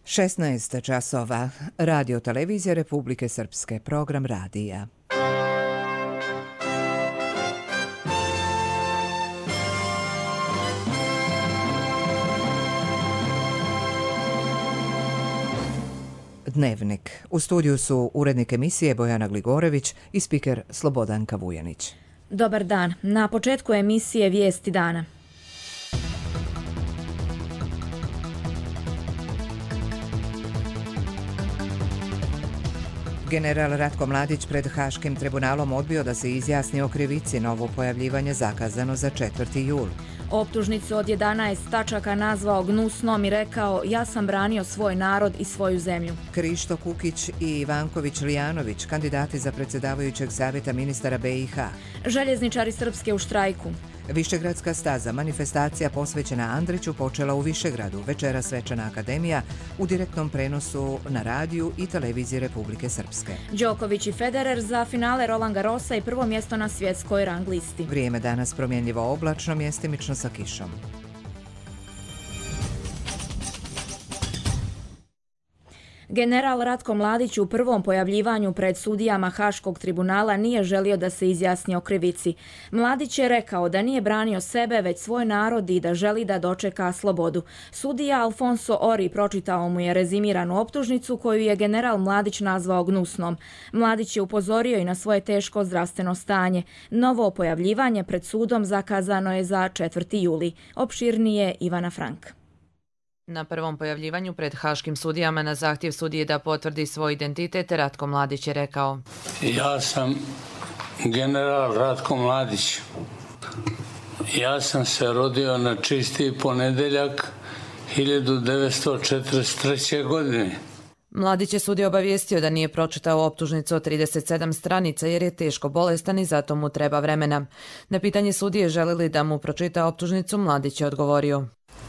16 časova. Radio Televizija Republike Srpske. Program radija. Dnevnik. U studiju su urednik emisije Bojana Gligorević i spiker Slobodanka Vujanić. Dobar dan. Na početku emisije Vijesti dana. General Ratko Mladić pred Haškim tribunalom odbio da se izjasni o krivici. Novo pojavljivanje zakazano za 4. jul. Optužnicu od 11 tačaka nazvao gnusnom i rekao: ja sam branio svoj narod i svoju zemlju. Krišto Kukić i Ivanković Lijanović, kandidati za predsjedavajućeg savjeta ministara BiH. Željezničari Srpske u štrajku. Višegradska staza, manifestacija posvećena Andriću, počela u Višegradu. Večera svečana akademija u direktnom prenosu na radiju i televiziji Republike Srpske. Đoković i Federer za finale Roland Garrosa i prvo mjesto na svjetskoj rang listi. Vrijeme danas promjenljivo oblačno, mjestimično sa kišom. General Ratko Mladić u prvom pojavljivanju pred sudijama Haškog tribunala nije želio da se izjasni o krivici. Mladić je rekao da nije branio sebe, već svoj narod i da želi da dočeka slobodu. Sudija Alfonso Ori pročitao mu je rezimiranu optužnicu koju je general Mladić nazvao gnusnom. Mladić je upozorio i na svoje teško zdravstveno stanje. Novo pojavljivanje pred sudom zakazano je za 4. juli. Opširnije Ivana Frank. Na prvom pojavljivanju pred haškim sudijama na zahtjev sudije da potvrdi svoj identitet, Ratko Mladić je rekao: ja sam general Ratko Mladić. Ja sam se rodio na čisti ponedeljak 1943. godine. Mladić je sudija obavijestio da nije pročitao optužnicu od 37 stranica jer je teško bolestan i zato mu treba vremena. Na pitanje sudije želi li da mu pročita optužnicu, Mladić je odgovorio: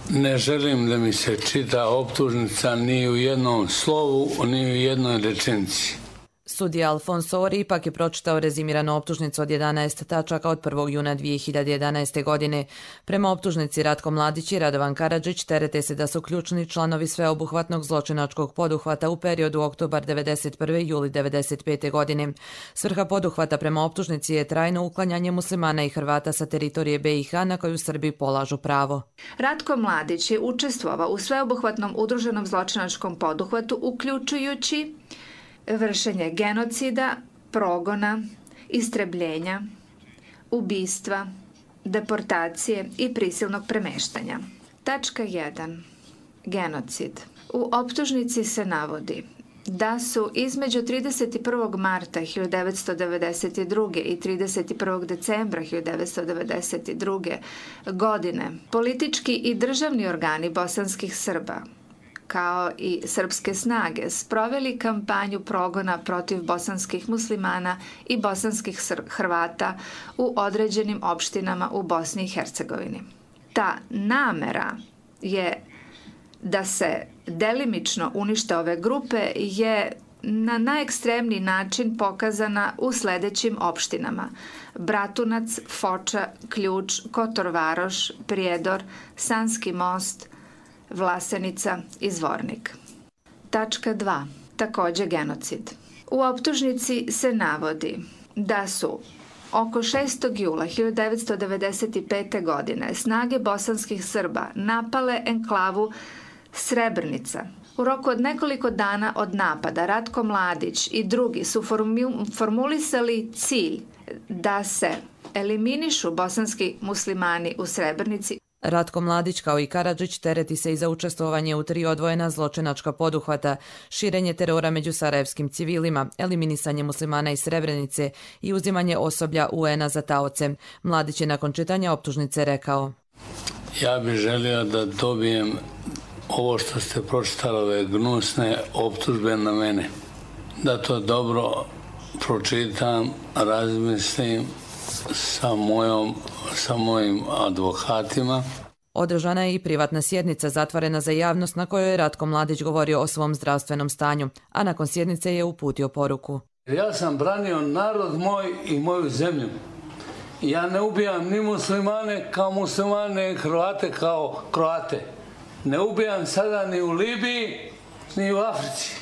ne želim da mi se čita optužnica ni u jednom slovu, ni u jednoj rečenici. Sudija Alfonso Ori ipak je pročitao rezimiranu optužnicu od 11 tačaka od 1. juna 2011. godine. Prema optužnici Ratko Mladić i Radovan Karadžić terete se da su ključni članovi sveobuhvatnog zločinačkog poduhvata u periodu oktobar 1991. juli 1995. godine. Svrha poduhvata prema optužnici je trajno uklanjanje muslimana i Hrvata sa teritorije BiH na koju Srbi polažu pravo. Ratko Mladić je učestvovao u sveobuhvatnom udruženom zločinačkom poduhvatu uključujući vršenje genocida, progona, istrebljenja, ubistva, deportacije i prisilnog premeštanja. Tačka 1. Genocid. U optužnici se navodi da su između 31. marta 1992. i 31. decembra 1992. godine politički i državni organi bosanskih Srba kao i srpske snage sproveli kampanju progona protiv bosanskih muslimana i bosanskih Hrvata u određenim opštinama u Bosni i Hercegovini. Ta namera je da se delimično unište ove grupe je na najekstremniji način pokazana u sljedećim opštinama: Bratunac, Foča, Ključ, Kotor Varoš, Prijedor, Sanski Most, Vlasenica i Zvornik. Tačka 2. Također genocid. U optužnici se navodi da su oko 6. jula 1995. godine snage bosanskih Srba napale enklavu Srebrnica. U roku od nekoliko dana od napada Ratko Mladić i drugi su formulisali cilj da se eliminišu bosanski muslimani u Srebrnici. Ratko Mladić kao i Karadžić tereti se i za učestvovanje u 3 odvojena zločinačka poduhvata: širenje terora među sarajevskim civilima, eliminisanje muslimana iz Srebrenice i uzimanje osoblja UN-a za taoce. Mladić je nakon čitanja optužnice rekao: ja bih želio da dobijem ovo što ste pročitali, ove gnusne optužbe na mene. Da to dobro pročitam, razmislim sa mojim advokatima. Održana je i privatna sjednica zatvorena za javnost na kojoj je Ratko Mladić govorio o svom zdravstvenom stanju, a nakon sjednice je uputio poruku: ja sam branio narod moj i moju zemlju. Ja ne ubijam ni muslimane kao muslimane, Hrvate kao Kroate. Ne ubijam sada ni u Libiji, ni u Africi.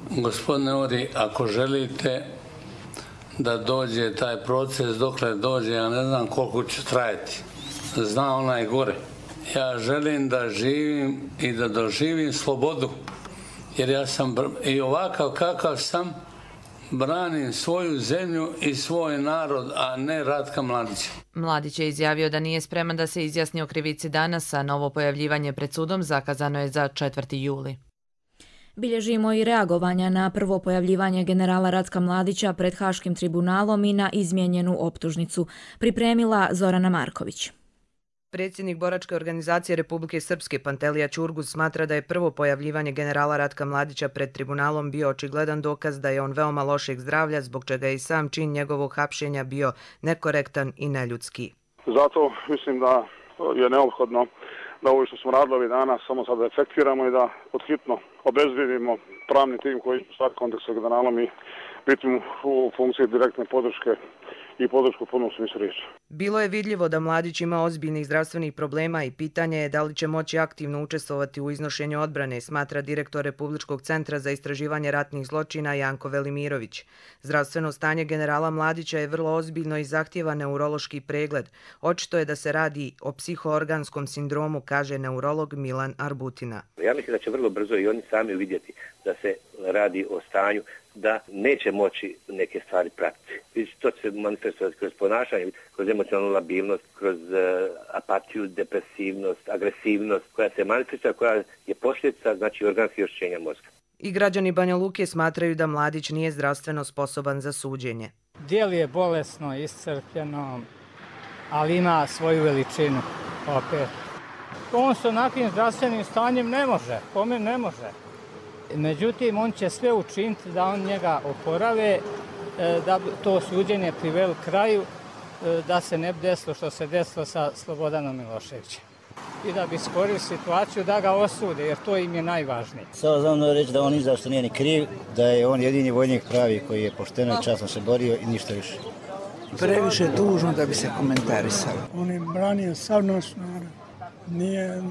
Gospodine Ori, ako želite da dođe taj proces, dokle dođe, ja ne znam koliko će trajati. Zna onaj gore. Ja želim da živim i da doživim slobodu, jer ja sam i ovakav kakav sam, branim svoju zemlju i svoj narod, a ne Ratka Mladića. Mladić je izjavio da nije spreman da se izjasni o krivici danas, a novo pojavljivanje pred sudom zakazano je za 4. juli. Bilježimo i reagovanja na prvo pojavljivanje generala Ratka Mladića pred Haškim tribunalom i na izmijenjenu optužnicu. Pripremila Zorana Marković. Predsjednik boračke organizacije Republike Srpske Pantelija Ćurguz smatra da je prvo pojavljivanje generala Ratka Mladića pred tribunalom bio očigledan dokaz da je on veoma lošeg zdravlja, zbog čega je i sam čin njegovog hapšenja bio nekorektan i neljudski. Zato mislim da je neophodno da ovo što smo radili ovih dana samo sad efektiramo i da podhitno obezbedimo pravni tim koji će stati kontakt sa generalom i biti mu u funkciji direktne podrške i podršku u punom smislu riječi. Bilo je vidljivo da Mladić ima ozbiljnih zdravstvenih problema i pitanje je da li će moći aktivno učestvovati u iznošenju odbrane, smatra direktor Republičkog centra za istraživanje ratnih zločina Janko Velimirović. Zdravstveno stanje generala Mladića je vrlo ozbiljno i zahtijeva neurološki pregled. Očito je da se radi o psihoorganskom sindromu, kaže neurolog Milan Arbutina. Ja mislim da će vrlo brzo i oni sami vidjeti da se radi o stanju da neće moći neke stvari pratiti. To će se manifestovati kroz ponašanje, kroz emocionalnu labilnost, kroz apatiju, depresivnost, agresivnost koja se manifestuje, koja je posljedica znači organskih oštećenja mozga. I građani Banja Luke smatraju da Mladić nije zdravstveno sposoban za suđenje. Djelo je bolesno, iscrpljeno, ali ima svoju veličinu opet. On s onakvim zdravstvenim stanjem ne može, po meni ne može. Međutim, on će sve učiniti da on njega oporave, da to suđenje priveli kraju, da se ne bi desilo što se desilo sa Slobodanom Miloševićem. I da bi stvorili situaciju da ga osude, jer to im je najvažnije. Samo znam da reći da on izašto nije ni kriv, da je on jedini vojnik pravi koji je pošteno i časno se borio i ništa više. Previše tužno da bi se komentarisalo. On je branio sav naš narod. Nije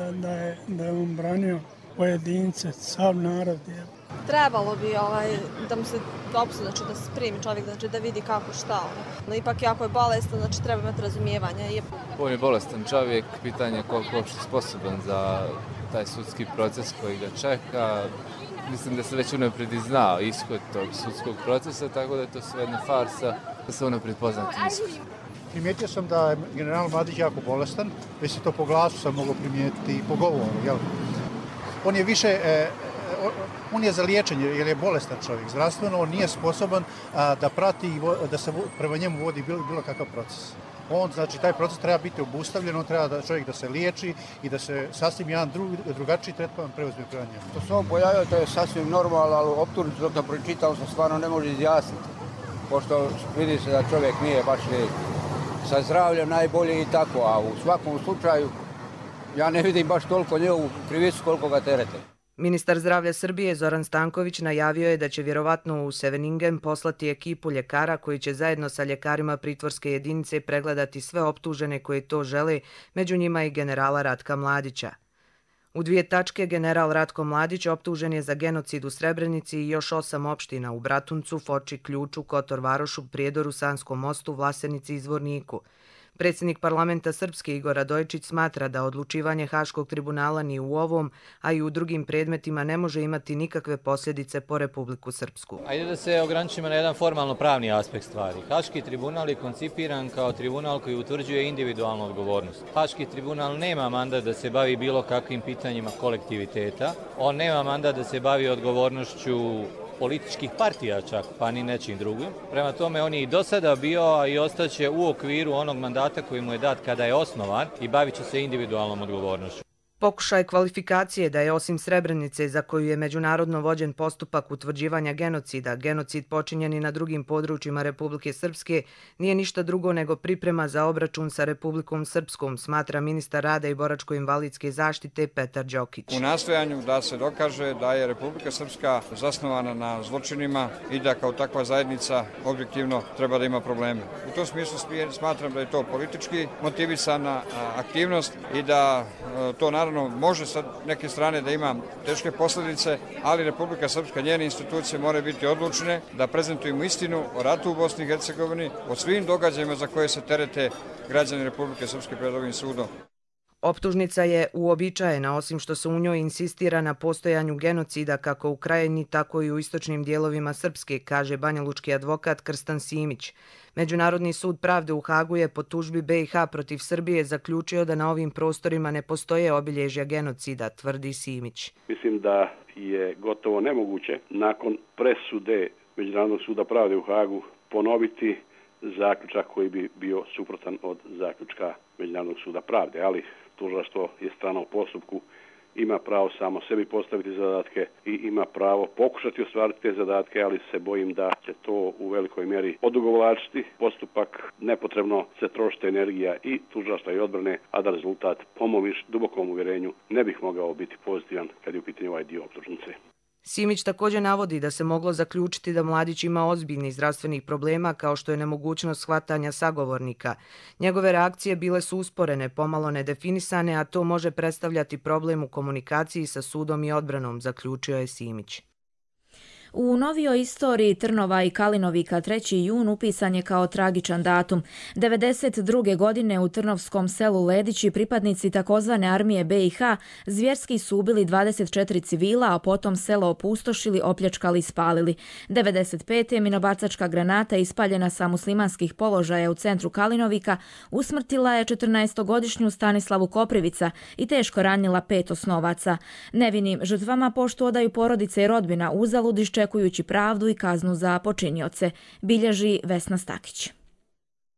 da je on branio pojedince, sav narod je. Trebalo bi da mu se dopustiti, znači da se primi čovjek, znači da vidi kako šta. No, ipak jako je bolestan, znači treba imati razumijevanje. On je bolestan čovjek, pitanje je koliko je sposoban za taj sudski proces koji ga čeka. Mislim da se već unaprijed znao ishod tog sudskog procesa, tako da je to sve jedna farsa, da se unaprijed poznati ishod. Primijetio sam da je general Mladić jako bolestan, već se to po glasu sam mogao primijetiti i po govoru, jel? On je više, on je za liječenje jer je bolestan čovjek zdravstveno, on nije sposoban da prati i da se prema njemu vodi bilo kakav proces. Znači, taj proces treba biti obustavljen, on treba da čovjek da se liječi i da se sasvim jedan drugačiji tretman preuzme prema njemu. To se on pojavio, to je sasvim normalno, ali optužnicu dok ga pročitao se stvarno ne može izjasniti, pošto vidi se da čovjek nije baš sa zdravljem najbolje i tako, a u svakom slučaju ja ne vidim baš toliko njegovu krivicu koliko ga terete. Ministar zdravlja Srbije Zoran Stanković najavio je da će vjerovatno u Seveningen poslati ekipu ljekara koji će zajedno sa ljekarima pritvorske jedinice pregledati sve optužene koji to žele, među njima i generala Ratka Mladića. U 2 tačke general Ratko Mladić optužen je za genocid u Srebrenici i još 8 opština u Bratuncu, Foči, Ključu, Kotor Varošu, Prijedoru, Sanskom mostu, Vlasenici i Zvorniku. Predsjednik parlamenta Srpske Igor Radojičić smatra da odlučivanje Haškog tribunala ni u ovom, a i u drugim predmetima ne može imati nikakve posljedice po Republiku Srpsku. Ajde da se ograničimo na jedan formalno pravni aspekt stvari. Haški tribunal je koncipiran kao tribunal koji utvrđuje individualnu odgovornost. Haški tribunal nema mandat da se bavi bilo kakvim pitanjima kolektiviteta. On nema mandat da se bavi odgovornošću političkih partija čak, pa ni nečim drugim. Prema tome, on je i do sada bio, a i ostaće u okviru onog mandata koji mu je dat kada je osnovan i bavit će se individualnom odgovornošću. Pokušaj kvalifikacije da je osim Srebrenice, za koju je međunarodno vođen postupak utvrđivanja genocida, genocid počinjen i na drugim područjima Republike Srpske, nije ništa drugo nego priprema za obračun sa Republikom Srpskom, smatra ministar rada i boračko-invalidske zaštite Petar Đokić. U nastojanju da se dokaže da je Republika Srpska zasnovana na zločinima i da kao takva zajednica objektivno treba da ima probleme. U tom smislu smatram da je to politički motivisana aktivnost i da to naravno naravno može sa neke strane da ima teške posljedice, ali Republika Srpska, njene institucije moraju biti odlučne da prezentujemo istinu o ratu u Bosni i Hercegovini, o svim događajima za koje se terete građani Republike Srpske pred ovim sudom. Optužnica je uobičajena, osim što se u njoj insistira na postojanju genocida kako u Krajini, tako i u istočnim dijelovima Srpske, kaže banjalučki advokat Krstan Simić. Međunarodni sud pravde u Hagu je po tužbi BiH protiv Srbije zaključio da na ovim prostorima ne postoje obilježja genocida, tvrdi Simić. Mislim da je gotovo nemoguće nakon presude Međunarodnog suda pravde u Hagu ponoviti zaključak koji bi bio suprotan od zaključka Međunarodnog suda pravde, ali tužilaštvo je strana u postupku, ima pravo samo sebi postaviti zadatke i ima pravo pokušati ostvariti te zadatke, ali se bojim da će to u velikoj mjeri odugovlačiti postupak, nepotrebno se trošiti energija i tužilaštva i odbrane, a da rezultat, po mom dubokom uvjerenju, ne bih mogao biti pozitivan kad je u pitanju ovaj dio optužnice. Simić također navodi da se moglo zaključiti da mladić ima ozbiljnih zdravstvenih problema kao što je nemogućnost shvatanja sagovornika. Njegove reakcije bile su usporene, pomalo nedefinisane, a to može predstavljati problem u komunikaciji sa sudom i odbranom, zaključio je Simić. U novijoj istoriji Trnova i Kalinovika 3. jun upisan je kao tragičan datum. 1992. godine u trnovskom selu Ledići pripadnici takozvane armije BiH zvjerski su ubili 24 civila, a potom selo opustošili, opljačkali i spalili. 1995. minobacačka granata ispaljena sa muslimanskih položaja u centru Kalinovika usmrtila je 14-godišnju Stanislavu Koprivica i teško ranila 5 osnovaca. Nevinim žrtvama poštu odaju porodice i rodbina uzalud iščekujući pravdu i kaznu za počinioce, bilježi Vesna Stakić.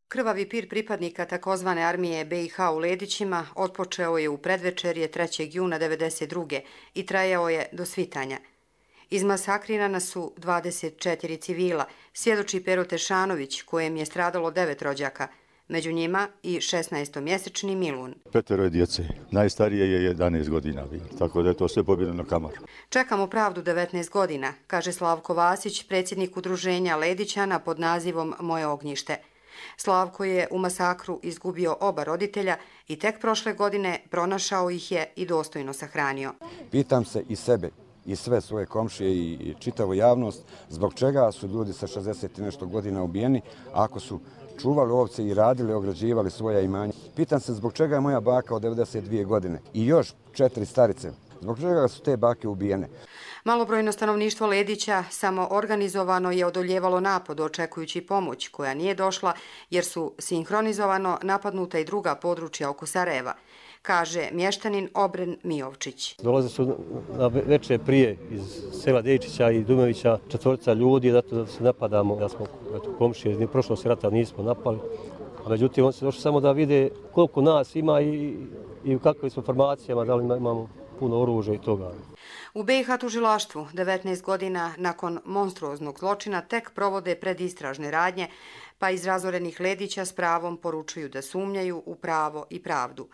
Krvavi pir pripadnika takozvane armije BiH u Ledićima otpočeo je u predvečerje 3. juna 1992. i trajao je do svitanja. Izmasakrirana su 24 civila, svjedoči Pero Tešanović, kojem je stradalo 9 rođaka, među njima i 16-mjesečni Milun. 5 je djece, najstarije je 11 godina, tako da je to sve pobjeda na kamaru. Čekamo pravdu 19 godina, kaže Slavko Vasić, predsjednik udruženja Ledićana pod nazivom Moje ognjište. Slavko je u masakru izgubio oba roditelja i tek prošle godine pronašao ih je i dostojno sahranio. Pitam se i sebe i sve svoje komšije i čitavu javnost, zbog čega su ljudi sa 60 i nešto godina ubijeni ako su čuvali ovce i radili, ograđivali svoja imanja. Pitam se zbog čega je moja baka od 92 godine i još 4 starice. Zbog čega su te bake ubijene? Malobrojno stanovništvo Ledića samo organizovano je odoljevalo napad očekujući pomoć koja nije došla jer su sinhronizovano napadnuta i druga područja oko Sarajeva, kaže mještanin Obren Mijovčić. Dolaze su na večer prije iz sela Dejčića i Dumevića 4 ljudi, zato da se napadamo, da smo komšije, prošlog se rata nismo napali, a međutim on se došli samo da vide koliko nas ima i u kakvim smo formacijama, da li imamo puno oružja i toga. U BiH tužilaštvu 19 godina nakon monstruoznog zločina tek provode predistražne radnje, pa iz razorenih Ledića s pravom poručuju da sumnjaju u pravo i pravdu.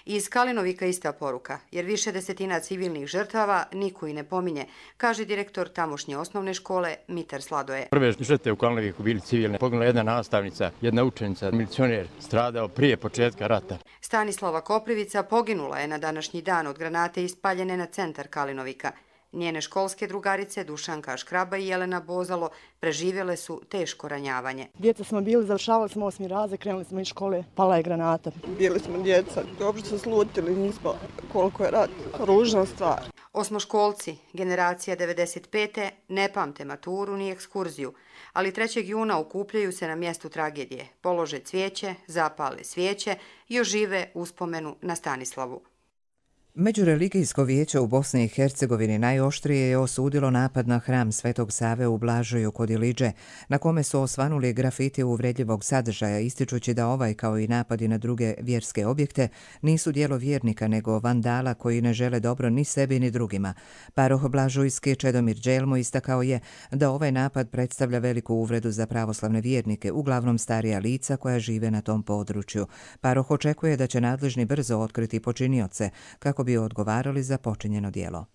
Iz Kalinovika ista poruka, jer više desetina civilnih žrtava niko i ne pominje, kaže direktor tamošnje osnovne škole Mitar Sladoje. Prve žrtve u Kalinoviku bili civilne. Poginula jedna nastavnica, jedna učenica, milicioner, stradao prije početka rata. Stanislava Koprivica poginula je na današnji dan od granate ispaljene na centar Kalinovika. Njene školske drugarice Dušanka Škraba i Jelena Bozalo preživjele su teško ranjavanje. Djeca smo bili, završavali smo 8. razred, krenuli smo iz škole, pala je granata. Bili smo djeca, uopšte se slutili, nismo koliko je rat, ružna stvar. Osmoškolci, generacija 95. ne pamte maturu ni ekskurziju, ali 3. juna okupljaju se na mjestu tragedije, polože cvijeće, zapale svijeće i ožive uspomenu na Stanislavu. Međureligijsko vijeće u Bosni i Hercegovini najoštrije je osudilo napad na hram Svetog Save u Blažuju kod Iliđe, na kome su osvanuli grafiti uvredljivog sadržaja, ističući da ovaj, kao i napadi na druge vjerske objekte, nisu djelo vjernika nego vandala koji ne žele dobro ni sebi ni drugima. Paroh Blažujski Čedomir Đelmo istakao je da ovaj napad predstavlja veliku uvredu za pravoslavne vjernike, uglavnom starija lica koja žive na tom području. Paroh očekuje da će nadležni brzo otkriti počinioce, kako bi odgovarali za počinjeno djelo.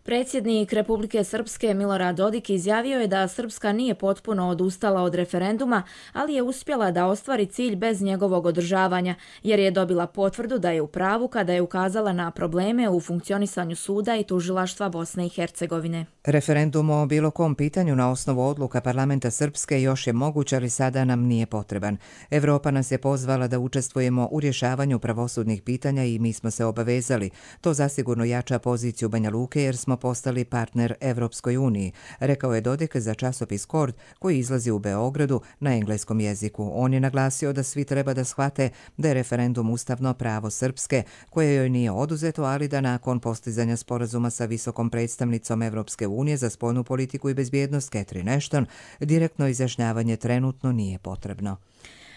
Predsjednik Republike Srpske Milorad Dodik izjavio je da Srpska nije potpuno odustala od referenduma, ali je uspjela da ostvari cilj bez njegovog održavanja, jer je dobila potvrdu da je u pravu kada je ukazala na probleme u funkcionisanju suda i tužilaštva Bosne i Hercegovine. Referendum o bilo kom pitanju na osnovu odluka parlamenta Srpske još je moguć, ali sada nam nije potreban. Evropa nas je pozvala da učestvujemo u rješavanju pravosudnih pitanja i mi smo se obavezali. To zasigurno jača poziciju Banja Luke jer smo postali partner Evropskoj uniji, rekao je Dodik za časopis Kord koji izlazi u Beogradu na engleskom jeziku. On je naglasio da svi treba da shvate da je referendum ustavno pravo Srpske, koje joj nije oduzeto, ali da nakon postizanja sporazuma sa visokom predstavnicom Evropske unije za spoljnu politiku i bezbjednost Catherine Ashton, direktno izjašnjavanje trenutno nije potrebno.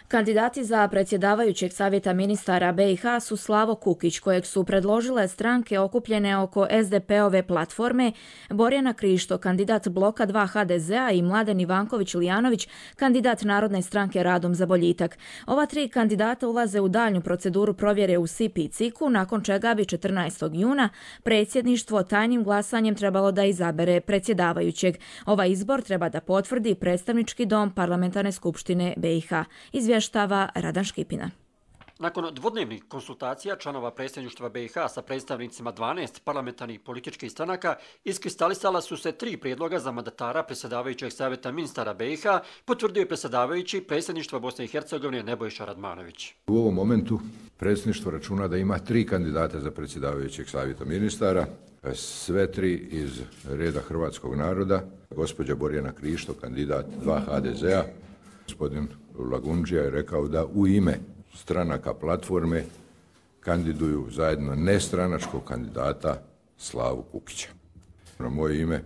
Kandidati za predsjedavajućeg savjeta ministara BiH su Slavo Kukić, kojeg su predložile stranke okupljene oko SDP-ove platforme, Borjana Krišto, kandidat bloka 2 HDZ-a i Mladen Ivanković-Lijanović, kandidat Narodne stranke Radom za boljitak. Ova tri kandidata ulaze u daljnju proceduru provjere u SIP i CIK-u, nakon čega bi 14. juna predsjedništvo tajnim glasanjem trebalo da izabere predsjedavajućeg. Ovaj izbor treba da potvrdi predstavnički dom Parlamentarne skupštine BiH. Izvještava Radan Škipina. Nakon dvodnevnih konsultacija članova predsjedništva BiH sa predstavnicima 12 parlamentarnih političkih stranaka iskristalisala su se 3 prijedloga za mandatara predsjedavajućeg savjeta ministara BiH, potvrdio je predsjedavajući predsjedništva Bosne i Hercegovine Nebojša Radmanović. U ovom momentu predsjedništvo računa da ima 3 kandidata za predsjedavajućeg savjeta ministara, sve 3 iz reda hrvatskog naroda, gospođa Borjana Krišto, kandidat 2 HDZ-a, gospodin Lagundžija je rekao da u ime stranaka platforme kandiduju zajedno nestranačkog kandidata Slavu Kukića. Na moje ime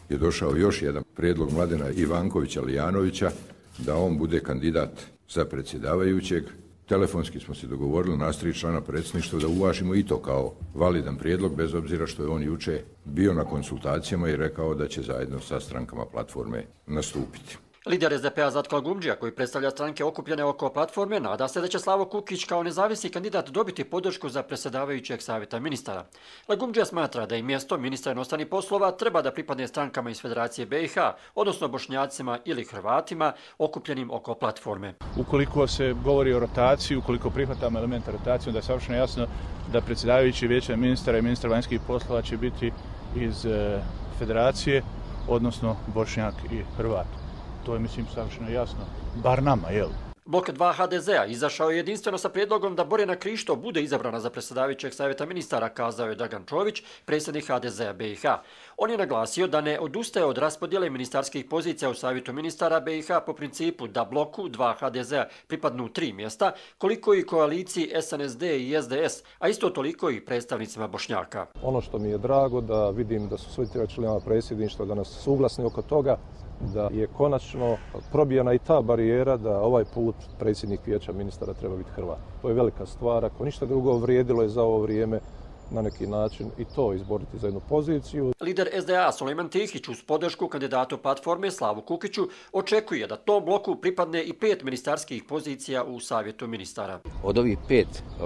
je došao još jedan prijedlog Mladena Ivankovića-Lijanovića da on bude kandidat za predsjedavajućeg. Telefonski smo se dogovorili nas 3 člana predsjedništva da uvažimo i to kao validan prijedlog, bez obzira što je on juče bio na konsultacijama i rekao da će zajedno sa strankama platforme nastupiti. Lider SDP-a Zlatko Lagundžija, koji predstavlja stranke okupljene oko platforme, nada se da će Slavo Kukić kao nezavisni kandidat dobiti podršku za predsjedavajućeg savjeta ministara. Lagundžija smatra da i mjesto ministra inostranih poslova treba da pripadne strankama iz Federacije BiH, odnosno Bošnjacima ili Hrvatima okupljenim oko platforme. Ukoliko se govori o rotaciji, ukoliko prihvatamo elementa rotacije, onda je savršeno jasno da predsjedavajući vijeća ministara i ministar vanjskih poslova će biti iz Federacije, odnosno Bošnjak i Hrvat. To je, mislim, savršeno jasno. Bar nama, jel? Blok 2 HDZ-a izašao je jedinstveno sa prijedlogom da Borjana Krišto bude izabrana za predsjedavajućeg savjeta ministara, kazao je Dragan Čović, predsjednik HDZ-a BiH. On je naglasio da ne odustaje od raspodjele ministarskih pozicija u savjetu ministara BiH po principu da bloku 2 HDZ-a pripadnu 3 mjesta, koliko i koaliciji SNSD i SDS, a isto toliko i predstavnicima Bošnjaka. Ono što mi je drago da vidim da su svi članovi predsjedništva danas suglasni oko toga, da je konačno probijena i ta barijera da ovaj put predsjednik vijeća ministara treba biti Hrvat. To je velika stvar, ako ništa drugo vrijedilo je za ovo vrijeme na neki način i to izboriti za jednu poziciju. Lider SDA Sulejman Tihić uz podršku kandidatu platforme Slavu Kukiću očekuje da tom bloku pripadne i 5 ministarskih pozicija u savjetu ministara. Od ovih 5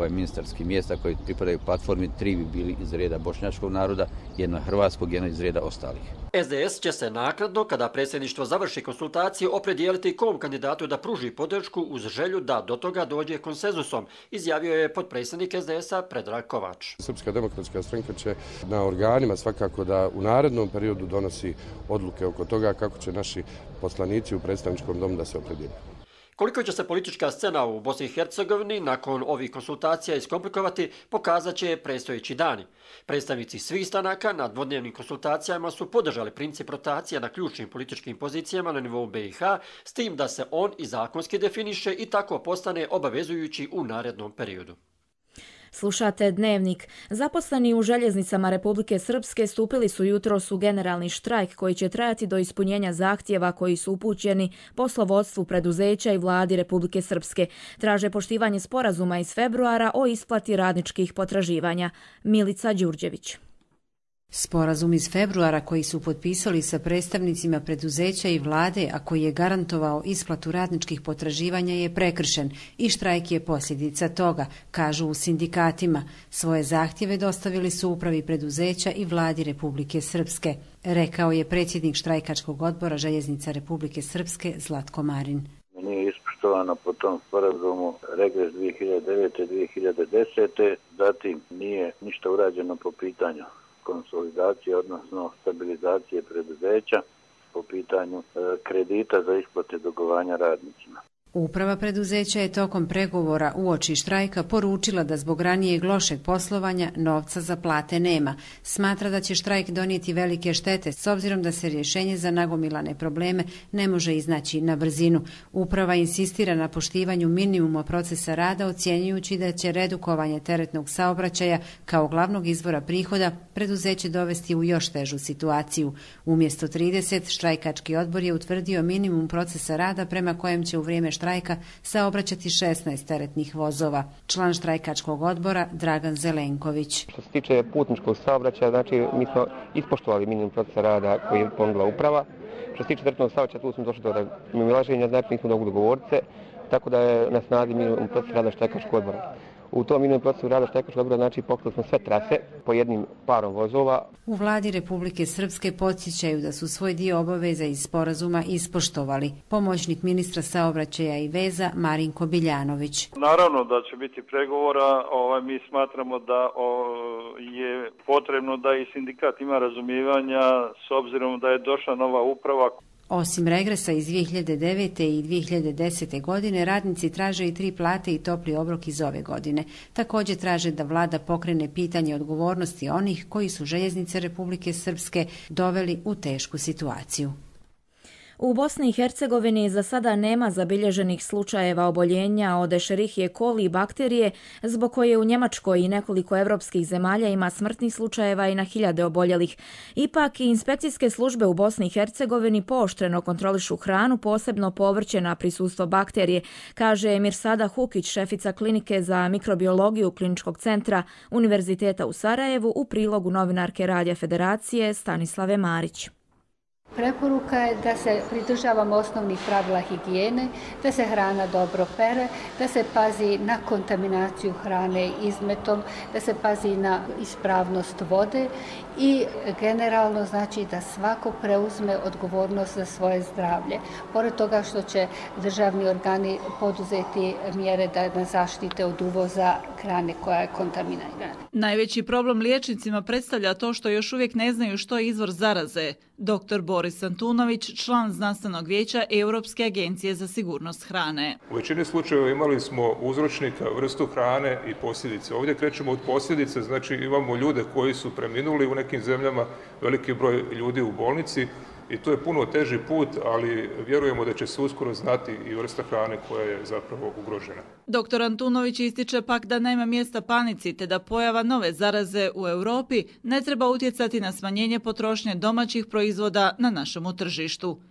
ministarskih mjesta koji pripadaju platformi, 3 bi bili iz reda bošnjačkog naroda, jedno hrvatskog, jedno iz reda ostalih. SDS će se naknadno, kada predsjedništvo završi konsultacije, opredijeliti kom kandidatu da pruži podršku uz želju da do toga dođe konsenzusom, izjavio je potpredsjednik SDS-a Predrag Kovač. Srpska demokratska stranka će na organima svakako da u narednom periodu donosi odluke oko toga kako će naši poslanici u predstavničkom domu da se opredijeli. Koliko će se politička scena u Bosni i Hercegovini nakon ovih konsultacija iskomplikovati, pokazat će predstojeći dani. Predstavnici svih stranaka na dvodnevnim konsultacijama su podržali princip rotacije na ključnim političkim pozicijama na nivou BiH, s tim da se on i zakonski definiše i tako postane obavezujući u narednom periodu. Slušate Dnevnik. Zaposleni u željeznicama Republike Srpske stupili su jutros u generalni štrajk koji će trajati do ispunjenja zahtjeva koji su upućeni poslovodstvu preduzeća i vladi Republike Srpske. Traže poštivanje sporazuma iz februara o isplati radničkih potraživanja. Milica Đurđević. Sporazum iz februara koji su potpisali sa predstavnicima preduzeća i vlade, a koji je garantovao isplatu radničkih potraživanja, je prekršen i štrajk je posljedica toga, kažu u sindikatima. Svoje zahtjeve dostavili su upravi preduzeća i vladi Republike Srpske, rekao je predsjednik štrajkačkog odbora Željeznica Republike Srpske Zlatko Marin. Nije ispoštovano po tom sporazumu regres 2009-2010. Zatim nije ništa urađeno po pitanju konsolidacije, odnosno stabilizacije preduzeća, po pitanju kredita za isplate dugovanja radnicima. Uprava preduzeća je tokom pregovora uoči štrajka poručila da zbog ranijeg lošeg poslovanja novca za plate nema. Smatra da će štrajk donijeti velike štete s obzirom da se rješenje za nagomilane probleme ne može iznaći na brzinu. Uprava insistira na poštivanju minimuma procesa rada, ocjenjujući da će redukovanje teretnog saobraćaja kao glavnog izvora prihoda preduzeće dovesti u još težu situaciju. Umjesto 30, štrajkački odbor je utvrdio minimum procesa rada prema kojem će u vrijeme štrajka saobraćati 16 teretnih vozova. Član štrajkačkog odbora Dragan Zelenković. Što se tiče putničkog saobraćaja, znači mi smo ispoštovali minimum procesa rada koji je ponudila uprava. Što se tiče teretnog saobraćaja, tu smo došli do mimoilaženja, znači nismo mogli dogovoriti se, tako da je na snazi minimum procesa rada štrajkačkog odbora. U tom minimum procesu rada štrajkačkog odbora znači pokrili smo sve trase po jednim parom vozova. U vladi Republike Srpske podsjećaju da su svoj dio obaveza iz sporazuma ispoštovali. Pomoćnik ministra saobraćaja i veza Marinko Biljanović. Naravno da će biti pregovora, mi smatramo da je potrebno da i sindikat ima razumijevanja s obzirom da je došla nova uprava. Osim regresa iz 2009. i 2010. godine, radnici traže i 3 plate i topli obrok iz ove godine. Također traže da vlada pokrene pitanje odgovornosti onih koji su Željeznice Republike Srpske doveli u tešku situaciju. U Bosni i Hercegovini za sada nema zabilježenih slučajeva oboljenja od Escherichie coli bakterije, zbog koje u Njemačkoj i nekoliko evropskih zemalja ima smrtnih slučajeva i na hiljade oboljelih. Ipak i inspekcijske službe u Bosni i Hercegovini pooštreno kontrolišu hranu, posebno povrće na prisustvo bakterije, kaže Mirsada Hukić, šefica klinike za mikrobiologiju Kliničkog centra Univerziteta u Sarajevu, u prilogu novinarke Radija Federacije Stanislave Marić. Preporuka je da se pridržavamo osnovnih pravila higijene, da se hrana dobro pere, da se pazi na kontaminaciju hrane izmetom, da se pazi na ispravnost vode i generalno znači da svako preuzme odgovornost za svoje zdravlje. Pored toga što će državni organi poduzeti mjere da nas zaštite od uvoza hrane koja je kontaminirana. Najveći problem liječnicima predstavlja to što još uvijek ne znaju što je izvor zaraze. Dr. Boris Antunović, član znanstvenog vijeća Europske agencije za sigurnost hrane. U većini slučajeva imali smo uzročnika, vrstu hrane i posljedice. Ovdje krećemo od posljedice, znači imamo ljude koji su preminuli u nekim zemljama, veliki broj ljudi u bolnici i to je puno teži put, ali vjerujemo da će se uskoro znati i vrsta hrane koja je zapravo ugrožena. Dr. Antunović ističe pak da nema mjesta panici te da pojava nove zaraze u Europi ne treba utjecati na smanjenje potrošnje domaćih proizvoda na našemu tržištu.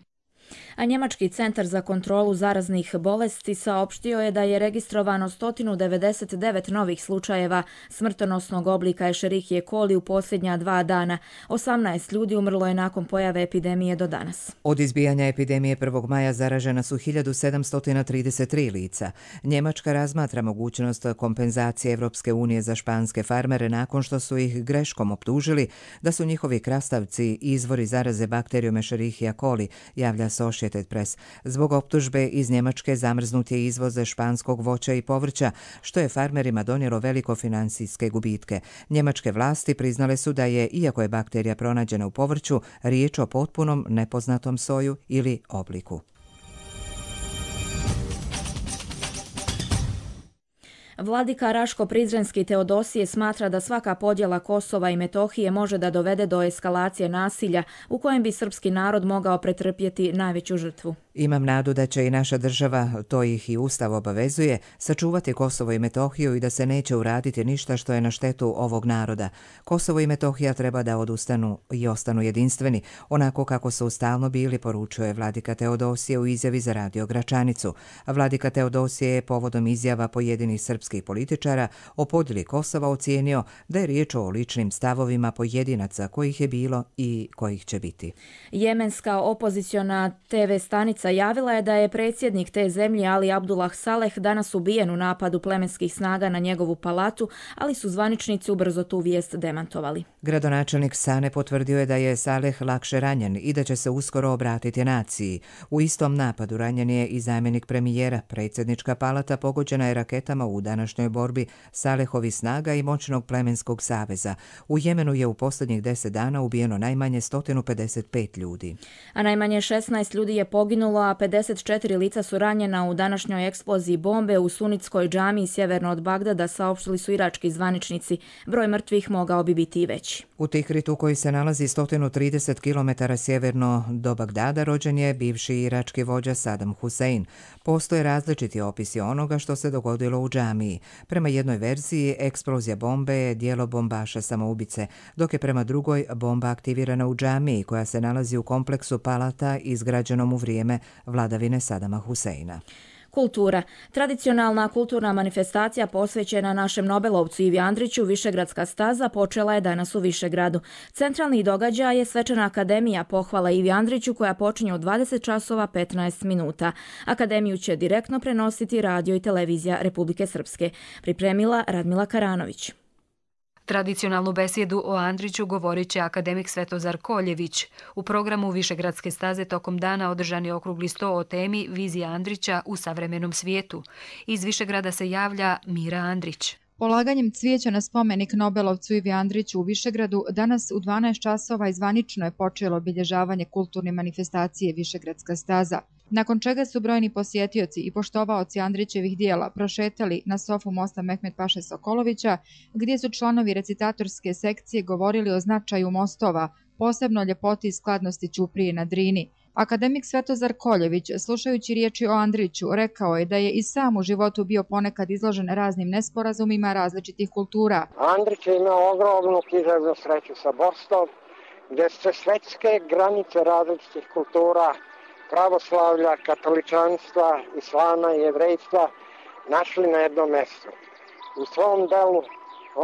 A Njemački centar za kontrolu zaraznih bolesti saopštio je da je registrovano 199 novih slučajeva smrtonosnog oblika Escherichie coli u posljednja 2 dana. 18 ljudi umrlo je nakon pojave epidemije do danas. Od izbijanja epidemije 1. maja zaražena su 1733 lica. Njemačka razmatra mogućnost kompenzacije Evropske unije za španske farmere nakon što su ih greškom optužili da su njihovi krastavci izvori zaraze bakterijom Escherichia coli, javlja Associated Press. Zbog optužbe iz Njemačke zamrznut je izvoz španskog voća i povrća, što je farmerima donijelo veliko financijske gubitke. Njemačke vlasti priznale su da je, iako je bakterija pronađena u povrću, riječ o potpunom nepoznatom soju ili obliku. Vladika Raško-Prizrenski Teodosije smatra da svaka podjela Kosova i Metohije može da dovede do eskalacije nasilja u kojem bi srpski narod mogao pretrpjeti najveću žrtvu. Imam nadu da će i naša država, to ih i Ustav obavezuje, sačuvati Kosovo i Metohiju i da se neće uraditi ništa što je na štetu ovog naroda. Kosovo i Metohija treba da odustanu i ostanu jedinstveni, onako kako su stalno bili, poručuje vladika Teodosije u izjavi za Radio Gračanicu. Vladika Teodosije je povodom izjava pojedinih srpskih srpskih političara o podjeli Kosova ocijenio da je riječ o ličnim stavovima pojedinaca kojih je bilo i kojih će biti. Jemenska opoziciona TV stanica javila je da je predsjednik te zemlje Ali Abdullah Saleh danas ubijen u napadu plemenskih snaga na njegovu palatu, ali su zvaničnici ubrzo tu vijest demantovali. Gradonačelnik Sane potvrdio je da je Saleh lakše ranjen i da će se uskoro obratiti naciji. U istom napadu ranjen je i zamjenik premijera. Predsjednička palata pogođena je raketama u današnjoj borbi Salehovi snaga i moćnog plemenskog saveza. U Jemenu je u posljednjih 10 dana ubijeno najmanje 155 ljudi. A najmanje 16 ljudi je poginulo, a 54 lica su ranjena u današnjoj eksploziji bombe u sunitskoj džamiji sjeverno od Bagdada, saopštili su irački zvaničnici. Broj mrtvih mogao bi biti i veći. U Tikritu, koji se nalazi 130 km sjeverno do Bagdada, rođen je bivši irački vođa Saddam Hussein. Postoje različiti opisi onoga što se dogodilo u džamiji. Prema jednoj verziji, eksplozija bombe je dijelo bombaša samoubice, dok je prema drugoj bomba aktivirana u džamiji koja se nalazi u kompleksu palata izgrađenom u vrijeme vladavine Sadama Huseina. Kultura. Tradicionalna kulturna manifestacija posvećena našem Nobelovcu Ivi Andriću, Višegradska staza, počela je danas u Višegradu. Centralni događaj je svečana akademija pohvala Ivi Andriću koja počinje u 20 časova 15 minuta. Akademiju će direktno prenositi radio i televizija Republike Srpske. Pripremila Radmila Karanović. Tradicionalnu besjedu o Andriću govorit će akademik Svetozar Koljević. U programu Višegradske staze tokom dana održan je okrugli sto o temi Vizija Andrića u savremenom svijetu. Iz Višegrada se javlja Mira Andrić. Polaganjem cvijeća na spomenik Nobelovcu Ivi Andriću u Višegradu danas u 12 časova zvanično je počelo obilježavanje kulturne manifestacije Višegradska staza, nakon čega su brojni posjetioci i poštovaoci Andrićevih dijela prošetali na sofu mosta Mehmet Paše Sokolovića, gdje su članovi recitatorske sekcije govorili o značaju mostova, posebno ljepoti i skladnosti ćuprije na Drini. Akademik Svetozar Koljević, slušajući riječi o Andriću, rekao je da je i sam u životu bio ponekad izložen raznim nesporazumima različitih kultura. Andrić je imao ogromnu književnu sreću sa Borstom, gdje su se svjetske granice različitih kultura, pravoslavlja, katoličanstva, islama i jevrejstva našli na jednom mjestu. U svom delu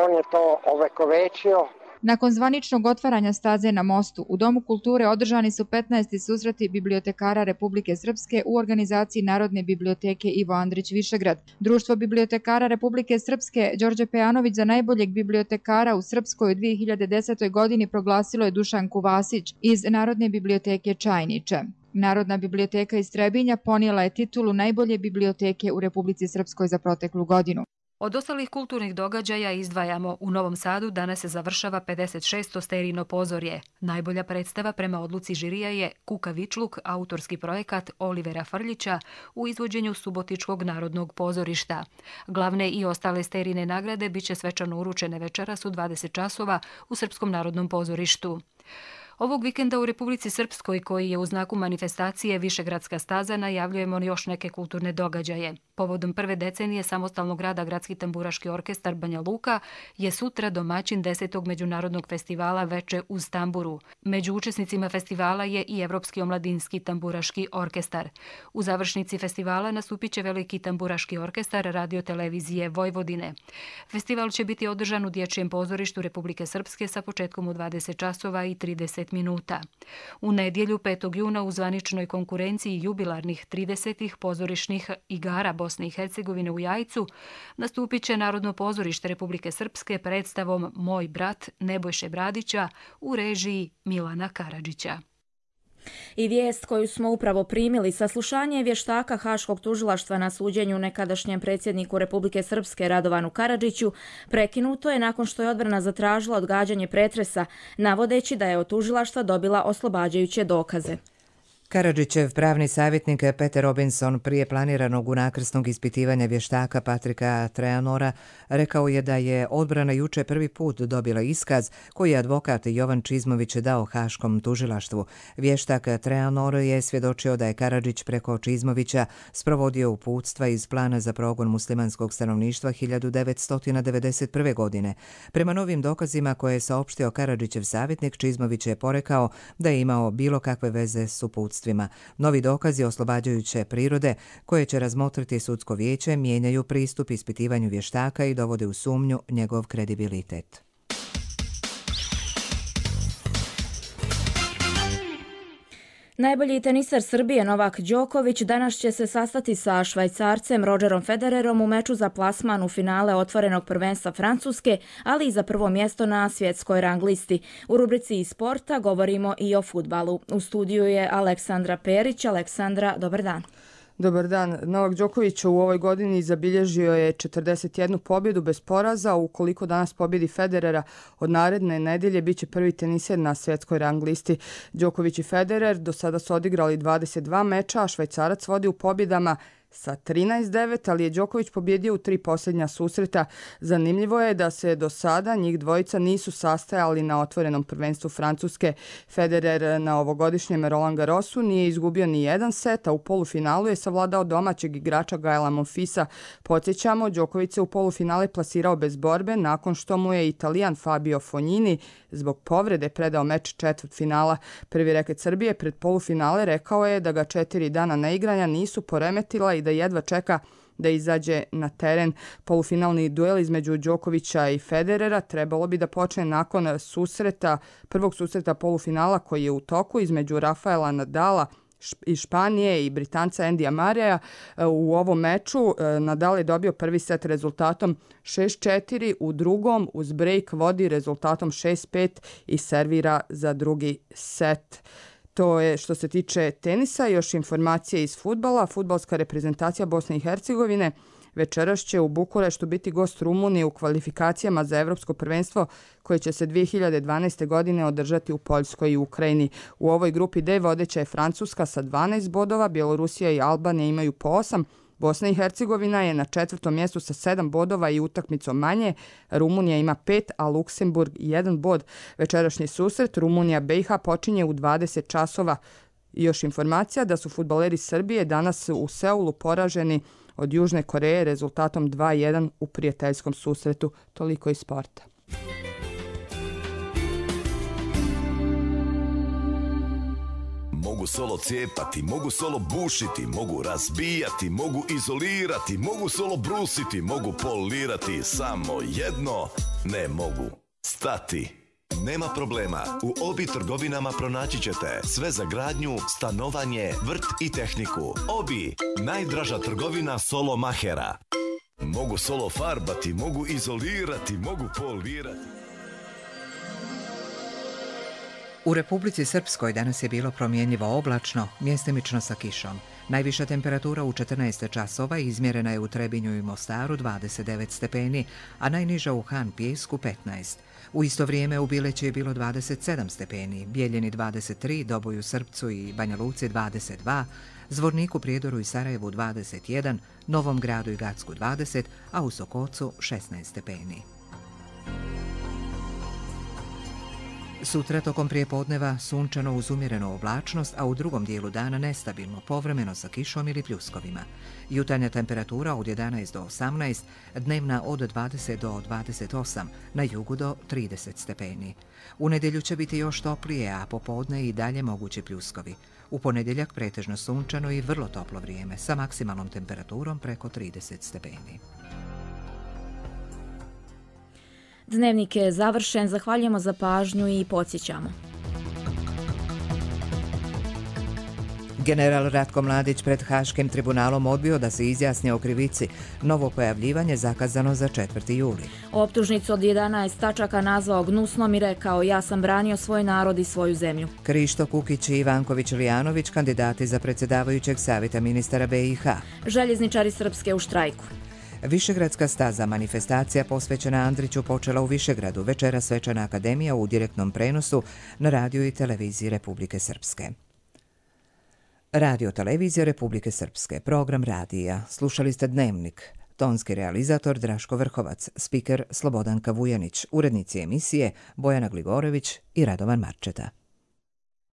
on je to ovekovečio. Nakon zvaničnog otvaranja staze na mostu, u Domu kulture održani su 15. susreti bibliotekara Republike Srpske u organizaciji Narodne biblioteke Ivo Andrić Višegrad. Društvo bibliotekara Republike Srpske Đorđe Pejanović za najboljeg bibliotekara u Srpskoj u 2010. godini proglasilo je Dušanku Vasić iz Narodne biblioteke Čajniče. Narodna biblioteka iz Trebinja ponijela je titulu najbolje biblioteke u Republici Srpskoj za proteklu godinu. Od ostalih kulturnih događaja izdvajamo u Novom Sadu danas se završava 56. sterijno pozorje. Najbolja predstava prema odluci žirija je Kukavičluk, autorski projekat Olivera Frljića u izvođenju Subotičkog narodnog pozorišta. Glavne i ostale sterijne nagrade biće svečano uručene večeras u 20 časova u Srpskom narodnom pozorištu. Ovog vikenda u Republici Srpskoj, koji je u znaku manifestacije Višegradska staza, najavljujemo još neke kulturne događaje. Povodom prve decenije samostalnog rada Gradski tamburaški orkestar Banja Luka je sutra domaćin 10. međunarodnog festivala Veče uz tamburu. Među učesnicima festivala je i Evropski omladinski tamburaški orkestar. U završnici festivala nastupit će Veliki tamburaški orkestar Radio-televizije Vojvodine. Festival će biti održan u Dječjem pozorištu Republike Srpske sa početkom u 20 časova i 30 minuta. U nedjelju 5. juna u zvaničnoj konkurenciji jubilarnih 30. pozorišnih igara Bosne i Hercegovine u Jajcu nastupit će Narodno pozorište Republike Srpske predstavom Moj brat Nebojše Bradića u režiji Milana Karadžića. I vijest koju smo upravo primili, saslušanje vještaka Haškog tužilaštva na suđenju nekadašnjem predsjedniku Republike Srpske Radovanu Karadžiću prekinuto je nakon što je odbrana zatražila odgađanje pretresa, navodeći da je od tužilaštva dobila oslobađajuće dokaze. Karadžićev pravni savjetnik Peter Robinson prije planiranog unakrsnog ispitivanja vještaka Patrika Treanora rekao je da je odbrana juče prvi put dobila iskaz koji je advokat Jovan Čizmović dao Haškom tužilaštvu. Vještak Treanor je svjedočio da je Karadžić preko Čizmovića sprovodio uputstva iz plana za progon muslimanskog stanovništva 1991. godine. Prema novim dokazima koje je saopštio Karadžićev savjetnik, Čizmović je porekao da je imao bilo kakve veze s uputstvima ubojstvima. Novi dokazi oslobađajuće prirode koje će razmotriti sudsko vijeće mijenjaju pristup ispitivanju vještaka i dovode u sumnju njegov kredibilitet. Najbolji teniser Srbije Novak Đoković danas će se sastati sa Švajcarcem Rogerom Federerom u meču za plasman u finale otvorenog prvenstva Francuske, ali i za prvo mjesto na svjetskoj rang listi. U rubrici sporta govorimo i o fudbalu. U studiju je Aleksandra Perić. Aleksandra, dobar dan. Dobar dan. Novak Đoković u ovoj godini zabilježio je 41 pobjedu bez poraza. Ukoliko danas pobjedi Federera, od naredne nedelje biće prvi teniser na svjetskoj rang listi. Đoković i Federer do sada su odigrali 22 meča, a Švajcarac vodi u pobjedama sa 13-9, ali je Đoković pobjedio u 3 posljednja susreta. Zanimljivo je da se do sada njih dvojica nisu sastajali na otvorenom prvenstvu Francuske. Federer na ovogodišnjem Roland Garrosu nije izgubio ni jedan set, a u polufinalu je savladao domaćeg igrača Gaela Monfilsa. Podsjećamo, Đoković se u polufinale plasirao bez borbe nakon što mu je Italijan Fabio Fognini zbog povrede predao meč četvrtfinala. Prvi reket Srbije pred polufinale rekao je da ga 4 dana neigranja nisu poremetila i da jedva čeka da izađe na teren. Polufinalni duel između Đokovića i Federera trebalo bi da počne nakon prvog susreta polufinala koji je u toku između Rafaela Nadala iz Španije i Britanca Andyja Murraya. U ovom meču Nadal je dobio prvi set rezultatom 6-4, u drugom uz break vodi rezultatom 6-5 i servira za drugi set. To je što se tiče tenisa. Još informacije iz fudbala. Fudbalska reprezentacija Bosne i Hercegovine večeras će u Bukureštu biti gost Rumunije u kvalifikacijama za Evropsko prvenstvo koje će se 2012. godine održati u Poljskoj i Ukrajini. U ovoj grupi D vodeća je Francuska sa 12 bodova, Bjelorusija i Albanija imaju po 8, Bosna i Hercegovina je na 4. mjestu sa 7 bodova i utakmicom manje, Rumunija ima 5, a Luksemburg 1 bod. Večerašnji susret Rumunija BiH počinje u 20 časova. Još informacija da su fudbaleri Srbije danas u Seulu poraženi od Južne Koreje rezultatom 2-1 u prijateljskom susretu. Toliko iz sporta. Mogu solo cijepati, mogu solo bušiti, mogu razbijati, mogu izolirati, mogu solo brusiti, mogu polirati, samo jedno ne mogu stati. Nema problema, u Obi trgovinama pronaći ćete sve za gradnju, stanovanje, vrt i tehniku. Obi, najdraža trgovina solo mahera. Mogu solo farbati, mogu izolirati, mogu polirati. U Republici Srpskoj danas je bilo promjenjivo oblačno, mjestimično sa kišom. Najviša temperatura u 14 časova izmjerena je u Trebinju i Mostaru 29 stepeni, a najniža u Han Pijesku 15. U isto vrijeme u Bileći je bilo 27 stepeni, Bijeljini 23, Doboju, Srpcu i Banja Luci 22, Zvorniku, Prijedoru i Sarajevu 21, Novom Gradu i Gacku 20, a u Sokocu 16 stepeni. Sutra tokom prijepodneva sunčano uz umjerenu oblačnost, a u drugom dijelu dana nestabilno, povremeno sa kišom ili pljuskovima. Jutarnja temperatura od 11 do 18, dnevna od 20 do 28, na jugu do 30 stepeni. U nedjelju će biti još toplije, a popodne i dalje mogući pljuskovi. U ponedjeljak pretežno sunčano i vrlo toplo vrijeme, sa maksimalnom temperaturom preko 30 stepeni. Dnevnik je završen, zahvaljujemo za pažnju i podsjećamo. General Ratko Mladić pred Haškim tribunalom odbio da se izjasni o krivici. Novo pojavljivanje zakazano za 4. juli. Optužnicu od 11 tačaka nazvao gnusnom i rekao: ja sam branio svoj narod i svoju zemlju. Krišto Kukić i Ivanković Lijanović, kandidati za predsjedavajućeg savjeta ministara BiH. Željezničari Srpske u štrajku. Višegradska staza, manifestacija posvećena Andriću, počela u Višegradu. Večera svečana akademija u direktnom prenosu na radiju i televiziji Republike Srpske. Radio televizija Republike Srpske, program radija. Slušali ste Dnevnik. Tonski realizator Draško Vrhovac, spiker Slobodanka Vujanić, urednici emisije Bojana Gligorević i Radovan Marčeta.